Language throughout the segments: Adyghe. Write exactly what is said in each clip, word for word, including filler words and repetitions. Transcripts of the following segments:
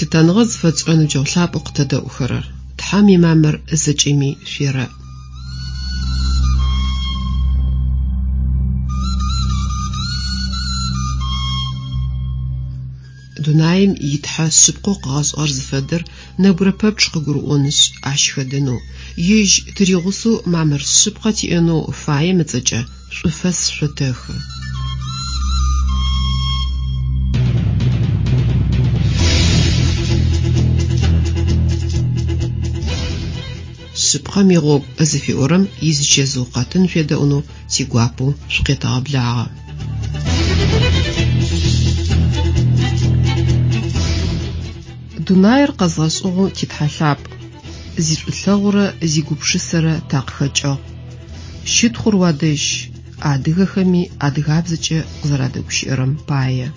Лъытэныгъэ зыфэтшӏырэ ныбджэгъу лъапӏэу къытэдэӏухэрэр! Тхьэм имамыр зэкӏэми шъуерэӏ! Дунаим итхьэ шъыпкъэу къыгъэшӏыгъэр зыфэдэр нэбгырэ пэпчъ къыгурыӏонышъ, ащ хэдэнэу, ежь тыригъусэу мамыр шъыпкъэ тиӏэнэу фаем ыцӏэкӏэ шӏуфэс шъотэхы. Шъыпкъэм игъогу зыфиӏорэм изычэзыу къэтын шъуедэӏунэу тигуапэу шъукъетэгъэблагъэ. Дунаир къэзгъэшӏыгъэу титхьэ лъапӏ, зишӏулъэгъурэ зигупшысэрэ такъыхэкӏыгъ. Щытхъур уадэжь, адыгэхэми адыгабзэкӏэ къызэрадэгущыӏэрэм пае.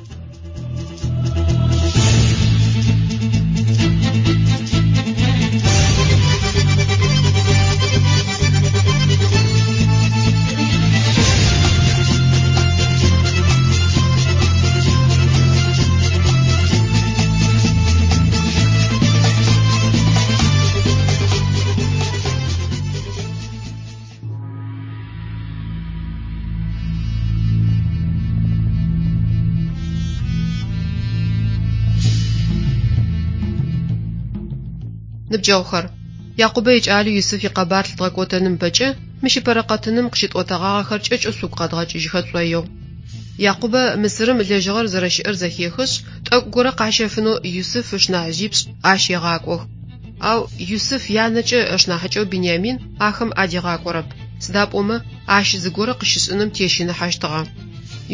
Ныбджэгъухэр, Якъубэ икӏалэу Юсыф икъэбар лъыдгъэкӏотэным ыпэкӏэ мыщ ыпэрэ къэтыным къыщытӏотэгъагъэхэр кӏэкӏэу шъугу къэдгъэкӏыжьыхэ тшӏоигъу. Якъубэ Мысырым лэжьыгъэр зэрэщыӏэр зэхехышъ, тӏэкӏу горэ къащэфынэу Юсыф ышнахьыжъипшӏ ащ егъакӏох. Ау Юсыф янэкӏэ ышнахьыкӏэу Биниамин ахэм адигъакӏорэп, сыда пӏомэ ащ зыгорэ къыщышӏыным тещыныхьэщтыгъэ.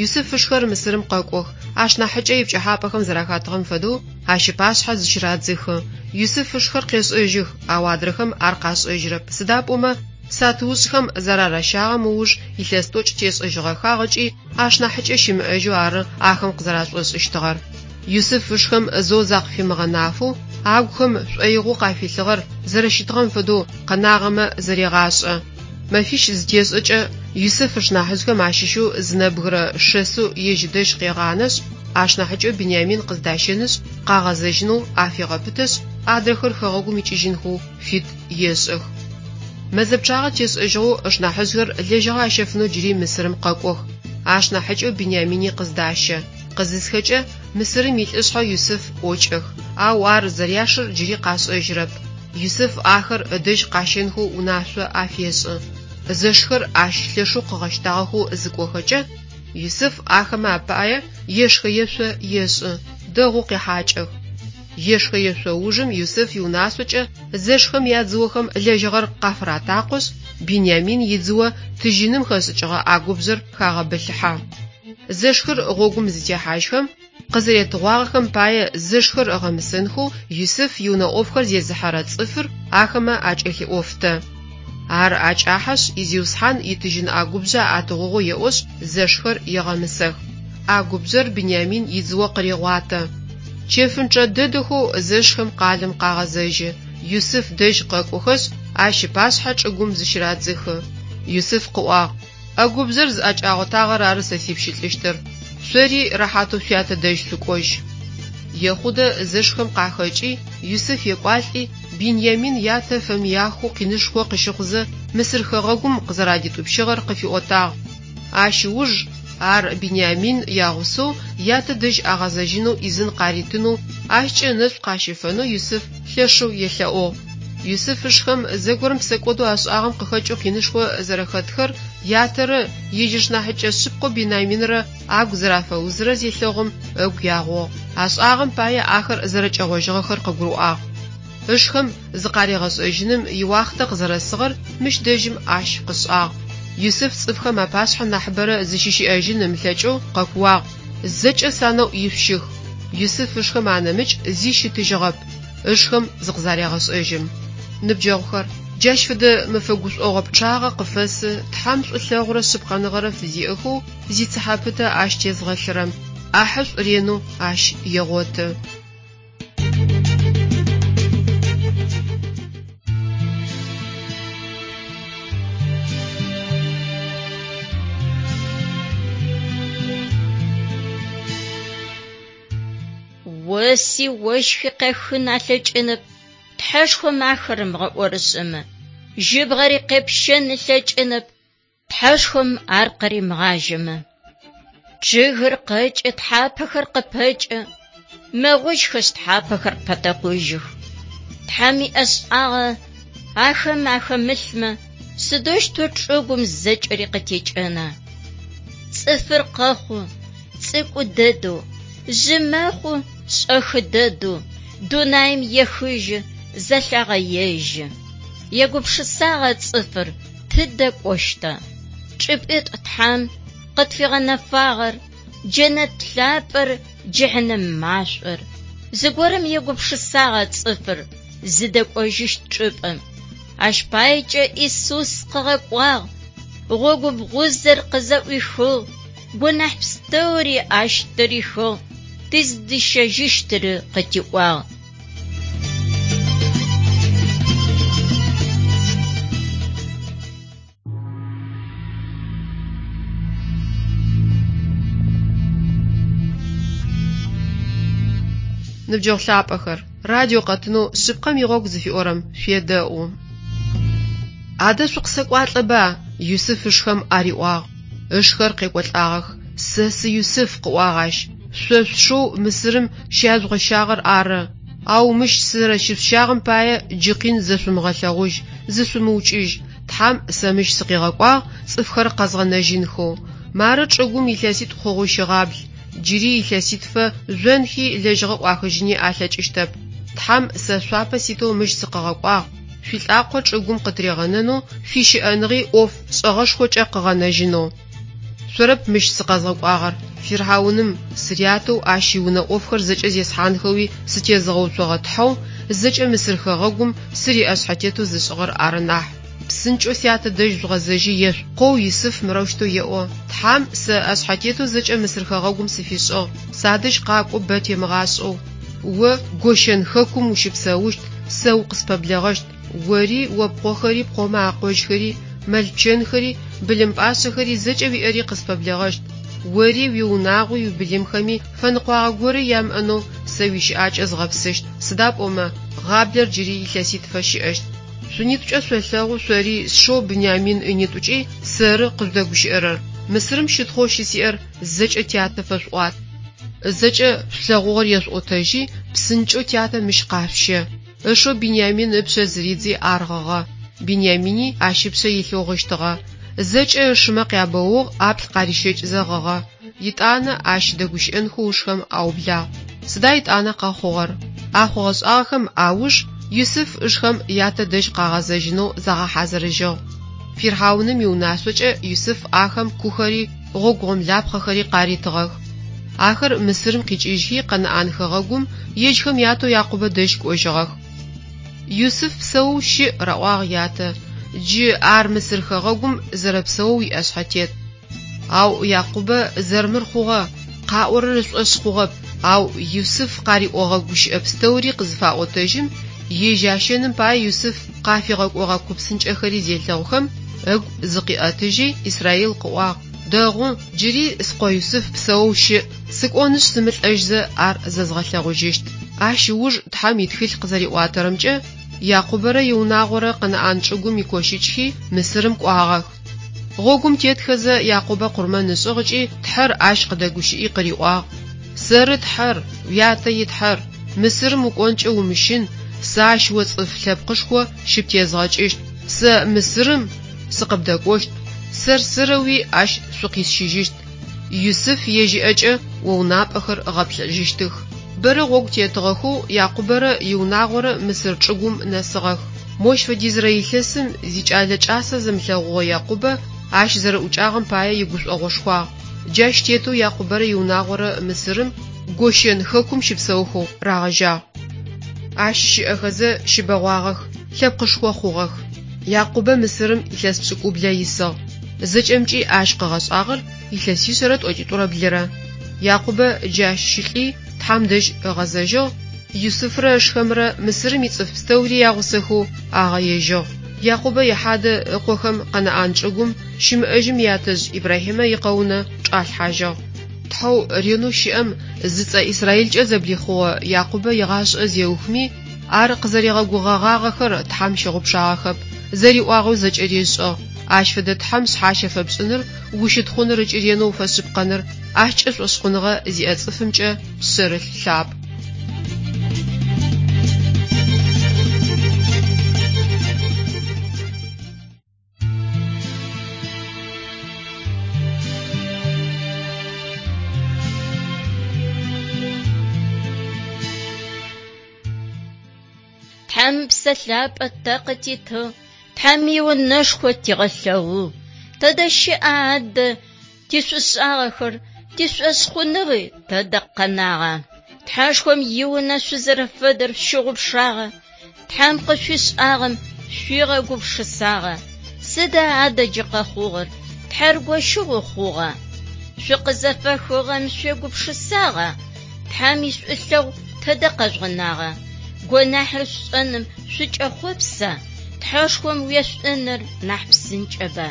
Юсыф ышхэр Мысырым къэкӏох, ашнахьыкӏэ ипкӏыхьапӏэхэм зэрахатыгъэм фэдэу ащ ыпашъхьэ зыщырадзыхы. Юсыф ышхэр къешӏэжьых, ау адрэхэм ар къашӏэжьырэп, сыда пӏомэ сатыушӏхэм зараращагъэм ыуж илъэс тӏокӏ тешӏэжьыгъэхагъ ыкӏи ашнахьыкӏэ щымыӏэжьэу ары ахэм къызэрашӏошӏыщтыгъэр. Юсыф ышхэм зэу закъыфимыгъэнафэу, агухэм шӏоигъоу къафилъыгъэр зэрэщытыгъэм фэдэу къэнагъэмэ зэрегъашӏэ. Мэфищ зытешӏэкӏэ Юсыф ышнахьыжъхэм ащыщэу зы нэбгырэ шэсэу ежь ыдэжь къегъанэшъ, ашнахьыкӏэу Биниамин къыздащэнышъ, къагъэзэжьынэу афегъэпытэшъ, адрэхэр хэгъэгум икӏыжьынхэу фит ешӏых. Мэзэ пчъагъэ тешӏэжьыгъэу ышнахьыжъхэр лэжьыгъэ ащэфынэу джыри Мысырым къэкӏох. Ашнахьыкӏэу Биниамини къыздащэ. Къызысхэкӏэ Мысырым илӏышъхьэ Юсыф ӏокӏэх, ау ар зэряшыр джыри къашӏэжьырэп. Юсыф ахэр ыдэжь къащэнхэу унашъо афешӏы. Зэшхэр ащ лъэшэу къыгъэщтагъэхэу зыкӏохэкӏэ, Юсыф ахэмэ апае ешхэ-ешъо ешӏы, дэгъоу къехьакӏэх. Ешхэ-ешъо ужым Юсыф иунашъокӏэ зэшхэм ядзыохэм лэжьыгъэр къафыратакъошъ, Биниамин идзыо тыжьыным хэшӏыкӏыгъэ ӏэгубжъэр хагъэбылъыхьэ. Зэшхэр гъогум зытехьажьхэм, къызэретыгъуагъэхэм пае зэшхэр ыгъэмысэнхэу Юсыф иунэ ӏофхэр зезыхьэрэ цӏыфыр ахэмэ акӏэлъиӏофтэ. Ар акӏахьэшъ, изиусхьан итыжьын ӏэгубжъэ атыгъугъэу еӏошъ, зэшхэр егъэмысэх. Ӏэгубжъэр Биниамин идзыо къырегъуатэ. Чэфынчъэ дэдэхэу зэшхэм къалэм къагъэзэжьы. Юсыф дэжь къэкӏохэшъ, ащ ыпашъхьэ чӏыгум зыщырадзыхы. Юсыф къыӏуагъ: «Ӏэгубжъэр зыӏэкӏагъотагъэр ары сэ сипщылӏыщтыр. Шъори рэхьатэу шъуятэ дэжь шъукӏожь». Ехъудэ зэшхэм къахэкӏи, Юсыф екӏуалӏи, Биниамин ятэ фэмыяхэу къинышхо къыщыхъузэ Мысыр хэгъэгум къызэрадитӏупщыгъэр къыфиӏотагъ. Ащ ыуж ар Биниамин ягъусэу ятэ дэжь агъэзэжьынэу ӏизын къаритынэу, ащкӏэ ынэшӏу къащифэнэу Юсыф лъэшэу елъэӏугъ. Юсыф ышхэм зэгорэм псэкӏодэу ашӏагъэм къыхэкӏэу къинышхо зэрэхэтхэр ятэрэ ежь ышнахьыкӏэ шъыпкъэу Биниаминрэ агу зэрафэузырэр зелъэгъум ыгу ягъугъ. Ашӏагъэм пае ахэр зэрэкӏэгъожьыгъэхэр къыгурыӏуагъ. Ышхэм зыкъаригъэшӏэжьыным иуахътэ къызэрэсыгъэр мыщ дэжьым ащ къышӏагъ. Юсыф цӏыфхэм апашъхьэ нахьыбэрэ зыщыщыӏэжьын ымылъэкӏэу къэкууагъ: «Зэкӏэ санэӏу ишъущых!» Юсыф ышхэм анэмыкӏ зи щытыжьыгъэп. Ышхэм зыкъызарегъэшӏэжьым. Ныбджэгъухэр, джащ фэдэ мэфэ гушӏогъо пчъагъэ къыфэсы Тхьэм шӏулъэгъурэ шъыпкъэныгъэрэ фызиӏэхэу зицыхьэ пытэ ащ тезгъэлъырэм. Ӏахьышӏу ренэу ащ егъоты. Оси ощхи къехын алъэкӏынэп, Тхьэшхом ахэр ымыгъэӏорышӏэмэ. Жьыбгъэри къепщэн ылъэкӏынэп, Тхьэшхом ар къыримыгъажьэмэ. Чъыгыр къэкӏы, тхьапэхэр къыпэкӏэ, мэгъужьхэшъ тхьапэхэр пэтэкъужьых. Тхьэм иӏэшӏагъэ ахэм ахэмылъмэ, сыдэущтэу чӏыгум зэкӏэри къытекӏэна? Цӏыфыр къэхъу, цӏыкӏу дэдэу, жъы мэхъу, шӏэхы дэдэу, дунаим ехыжьы, зэлъагъэежьы. Егупшысагъа цӏыфыр тыдэ кӏощта? Чӏыпӏитӏу Тхьэм къытфигъэнэфагъэр: джэнэт лъапӏэр, джыхьнэм машӏор. Зыгорэм егупшысагъа цӏыфыр зыдэкӏожьыщт чӏыпӏэм. Ащ паекӏэ Исус къыгъэкӏуагъ, гъогу бгъузэр къызэӏуихыгъ, гонахь пстэури ащ тырихыгъ, тыздищэжьыщтыр къытиӏуагъ. Ныбджэгъу лъапӏэхэр, радио къэтынэу «Шъыпкъэм игъогу» зыфиӏорэм шъуедэӏу. Адэ шъукъысэкӏуалӏэба, Юсыф ышхэм ариӏуагъ. Ышхэр къекӏолӏагъэх. Сэ сы Юсыф, къыӏуагъ ащ. Шъо шъушэу Мысырым щяжъугъэщагъэр ары. Ау мыщ сызэрэщышъущагъэм пае джы къин зэшъумыгъэлъэгъужь, зышъумыукӏыжь. Тхьам сэ мыщ сыкъигъэкӏуагъ цӏыфхэр къэзгъэнэжьынхэу. Мары чӏыгум илъэситӏу хъугъэу щыгъабл. Джыри илъэситфэ жъонхи лэжьыгъэ ӏуахыжьыни алъэкӏыщтэп. Тхьам сэ шъуапэ ситэу мыщ сыкъыгъэкӏуагъ. Шъуилӏакъо чӏыгум къытыригъэнэнэу, шъуищыӏэныгъи ӏоф шӏэгъэшхокӏэ къыгъэнэжьынэу. Шъорэп мыщ сыкъэзгъэкӏуагъэр, фирхьауным сырятэу ащ иунэ ӏофхэр зэкӏэ зесхьанхэуи сытезыгъэуцогъэ Тхьэу зэкӏэ Мысыр хэгъэгум сыриӏэшъхьэтетэу зышӏыгъэр ары нахь. Псынкӏэу сятэ дэжь жъугъэзэжьи ешъуӏу. Къоу Юсыф мырэущтэу еӏо: Тхьам сэ ӏэшъхьэтетэу зэкӏэ Мысыр хэгъэгум сыфишӏыгъ. Садэжь къакӏо бэ темыгъашӏэу. О Гощэн хэкум ущыпсэущт, сэ укъыспэблэгъэщт. Ори, о пкъохэри, пкъомэ акъожьхэри, мэл-пчэнхэри, былым пӏашъэхэри зэкӏэ уиӏэри къыспэблэгъэщт. Ори, уиунагъуи, уибылымхэми фэныкъуагъэ горэ ямыӏэнэу сэ уищыӏакӏэ згъэпсыщт. Сыда пӏомэ гъаблэр джыри илъэситфэ щыӏэщт. Шъунитӏукӏэ шъолъэгъу шъори сшэу Бынямин ынитӏукӏи сэры къыжъудэгущыӏэрэр. Мысырым щытхъоу щысиӏэр зэкӏэ тятэ фэшъуӏуат. Зэкӏэ шъулъэгъугъэр ешъуӏотэжьи, псынкӏэу тятэ мыщ къашъущэ. Ышэу Бинямин ыпшъэ зыридзи ар гъыгъэ. Бинямини ащ ыпшъэ илъэу гъыщтыгъэ. Зэкӏэ ышымэ къябэугъ, ӏаплӏ къарищэкӏызэ гъыгъэ. Етӏанэ ащ дэгущыӏэнхэу ышхэм аублагъ. Сыда етӏанэ къэхъугъэр? А хъугъэ-шӏагъэхэм ауж Юсыф ышхэм ятэ дэжь къагъэзэжьынэу загъэхьазырыжьыгъ. Фирхьауным иунашъокӏэ Юсыф ахэм кухэри, гъогу гъомлапхъэхэри къаритыгъэх. Ахэр Мысырым къикӏыжьхи Къэнаӏан хэгъэгум ежьхэм ятэу Якъубэ дэжь кӏожьыгъэх. Юсыф псэоу щыӏ, раӏуагъ ятэ. Джы ар Мысыр хэгъэгум зэрэпсэоу иӏэшъхьэтет. Ау Якъубэ зэрмыр хъугъэ, къаӏорэр ышӏошъ хъугъэп, ау Юсыф къариӏогъэ гущыӏэ пстэури къызыфаӏотэжьым, ежь ащэным пае Юсыф къафигъэкӏогъэ купсынкӏэхэри зелъэгъухэм, ыгу зыкъиӏэтыжьи Исраил къыӏуагъ: Дэгъу, джыри скъо Юсыф псэоу щыӏ, сыкӏонышъ сымылӏэжьзэ ар зэзгъэлъэгъужьыщт. Ащ ыуж Тхьэм итхылъ къызэриӏуатэрэмкӏэ, Якъубэрэ иунагъорэ Къэнаӏан чӏыгум икощыкӏхи Мысырым кӏуагъэх. Гъогум тетхэзэ Якъубэ къурмэн ышӏыгъ ыкӏи Тхьэр ащ къыдэгущыӏи къыриӏуагъ: Сэры Тхьэр, уятэ и Тхьэр. Мысырым укӏонкӏэ умыщын, сэ ащ о цӏыф лъэпкъышхо щыптезгъэкӏыщт. Сэ Мысырым сыкъыбдэкӏощт, сэр-сэрэуи ащ шъукъисщыжьыщт. Юсыф ежь ыӏэкӏэ о унапӏэхэр ыгъэплъэжьыщтых. Бэрэ гъогу тетыгъэхэу Якъубэрэ иунагъорэ Мысыр чӏыгум нэсыгъэх. Мощ фэдизрэ илъэсым зикӏалэ кӏасэ зымылъэгъугъэ Якъубэ ащ зэрэӏукӏагъэм пае игушӏогъошхуагъ. Джащ тетэу Якъубэрэ иунагъорэ Мысырым Гощэн хэкум щыпсэухэу рагъэжьагъ. Ащ щыӏэхэзэ щыбэгъуагъэх, лъэпкъышхо хъугъэх. Якъубэ Мысырым илъэс пшӏыкӏублэ исыгъ. Зэкӏэмкӏи ащ къыгъэшӏагъэр илъэсишъэрэ тӏокӏитӏурэ блырэ. Якъубэ джащ щылӏи Тхьэм дэжь ыгъэзэжьыгъ, Юсыфрэ ышхэмрэ Мысырым ицӏыф пстэури ягъусэхэу агъэежьыгъ. Якъубэ ихьадэ ыкъохэм Къэнаӏан чӏыгум щымыӏэжьым ятэжъ Ибрахьимэ икъэунэ чӏалъхьажьыгъ. Тхьэу ренэу щыӏэм зыцӏэ Израилкӏэ зэблихъугъэ Якъубэ игъашӏэ зеухми, ар къызэригъэгугъэгъагъэхэр Тхьэм щыгъупшагъэхэп, зэриӏуагъэу зэкӏэри ышӏыгъ. Ащ фэдэ Тхьэм шъхьащэ фэпшӏыныр, ущытхъуныр ыкӏи ренэу уфэшъыпкъэныр ащкӏэ шӏошъхъуныгъэ зиӏэ цӏыфымкӏэ пшъэрылъ лъапӏ. Тхьэм Псэ Лъапӏэ тэ къытитыгъ, Тхьэм иунэшхо тигъэлъэгъугъ. Тэдэ щыӏа адэ тишӏушӏагъэхэр, тишӏошъхъуныгъи тэдэ къэнагъа? Тхьэшхом иунэ шъузэрэфэдэр щыгъупшагъэ, Тхьэм къышъуишӏагъэм шъуигъэгупшысагъа? Сыда адэ джы къэхъугъэр? Тхьэр гощыгъо хъугъа? Шъукъызэфэхыгъэм шъуегупшысагъа? Тхьэм ишӏулъэгъу тэдэ къэжъугъэнагъа? Гонахьыр шӏэным шъукӏэхъопса? Тхьэшхом уешӏуныр нахь псынкӏэба?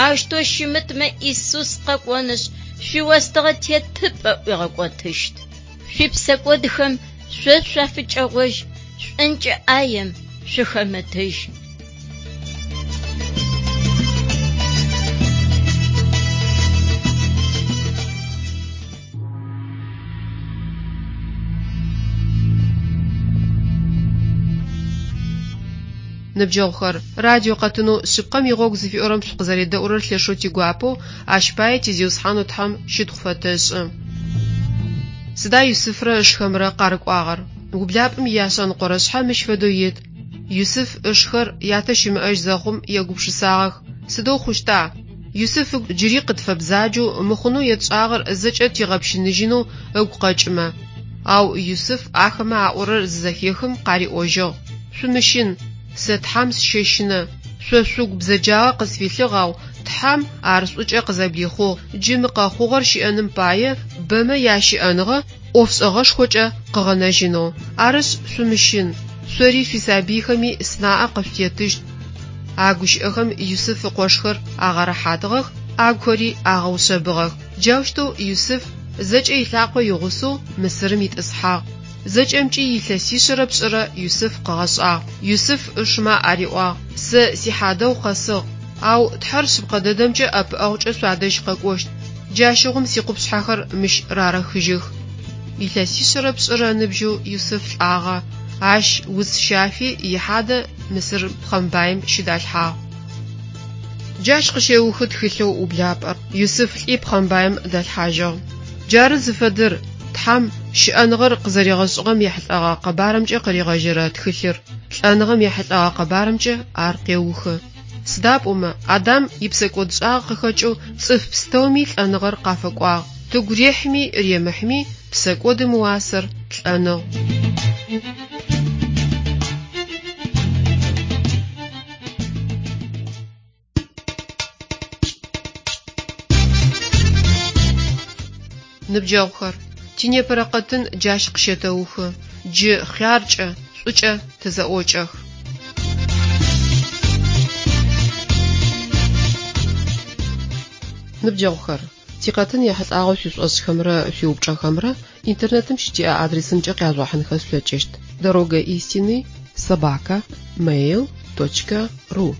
Аущтэу щымытмэ Исус къэкӏонышъ, шъуиостыгъэ тетыпӏэ ӏуигъэкӏотыщт. Шъуипсэкӏодхэм шъо шъуафыкӏэгъожь, шӏункӏэ ӏаем шъухэмытыжь. Ныбджэгъухэр, радио къэтынэу шъыпкъэм игъогу зыфиӏорэм шъукъызэредэӏурэр лъэшэу тигуапэу, ащ пае ти Зиусхьанэу Тхьэм щытхъу фэтэшӏы. Сыда Юсыфрэ ышхэмрэ къарыкӏуагъэр? Ублапӏэм ияшъэныкъорэ шъхьэ мыщ фэдэу ит. Юсыф ышхэр ятэ щымыӏэжь зэхъум егупшысагъэх: Сыдэу хъущта? Юсыф ыгу джыри къытфэбзаджэу, мыхъунэу етшӏагъэр зэкӏэ тигъэпщыныжьынэу ыгу къэкӏымэ. Ау Юсыф ахэмэ аӏорэр зызэхехым къариӏожьыгъ: Шъумыщын, сэ Тхьэм сыщэщынэ. Шъо шъугу бзэджагъэ къысфилъыгъ, ау Тхьэм ар шӏукӏэ къызэблихъугъ. Джы мы къэхъугъэр щыӏэным пае бэмэ ящыӏэныгъэ ӏофшӏэгъэшхокӏэ къыгъэнэжьынэу. Арышъ, шъумыщын, шъори шъуисабыйхэми сынаӏэ къышъутетыщт. А гущыӏэхэм Юсыф ыкъошхэр агъэрэхьатыгъэх, агухэри агъэушъэбыгъэх. Джаущтэу Юсыф зэкӏэ илӏакъо игъусэу Мысырым итӏысхьагъ. Зэкӏэмкӏи илъэсишъэрэ пшӏырэ Юсыф къыгъэшӏагъ. Юсыф ышымэ ариӏуагъ: Сэ сихьадэгъу къэсыгъ, ау Тхьэр шъыпкъэ дэдэмкӏэ ӏэпыӏэгъукӏэ шъуадэжь къэкӏощт. Джащыгъум сикъупшъхьэхэр мыщ рарэхыжьых. Илъэсишъэрэ пшӏырэ ыныбжьэу Юсыф лӏагъэ. Ащ уц щафи ихьадэ Мысыр пхъэмбаим щыдалъхьагъ. Джащ къыщеухы тхылъэу ублапӏэр. Юсыф лӏи пхъэмбаим далъхьажьыгъ. Джары зыфэдэр Тхьэм щыӏэныгъэр къызэригъэшӏыгъэм ехьылӏэгъэ къэбарымкӏэ къыригъэжьэрэ тхылъыр, лӏэныгъэм ехьылӏэгъэ къэбарымкӏэ ар къеухы. Сыда пӏомэ Адам ипсэкӏодшӏагъэ къыхэкӏэу цӏыф пстэуми лӏэныгъэр къафэкӏуагъ. Тыгу рехьми ремыхьми псэкӏодым ыуасэр лӏэныгъ. Ныбджэгъухэр, тинепэрэ къэтын джащ къыщэтэухы. Джы хъяркӏэ, шӏукӏэ тызэӏокӏэх. Ныбджэгъухэр, тикъэтын ехьылӏагъэу шъуишӏошӏхэмрэ шъуиупчӏэхэмрэ интернетым щытиӏэ адресымкӏэ къяжъугъэхьынхэ шъулъэкӏыщт: дорога истины собака mail точка ру.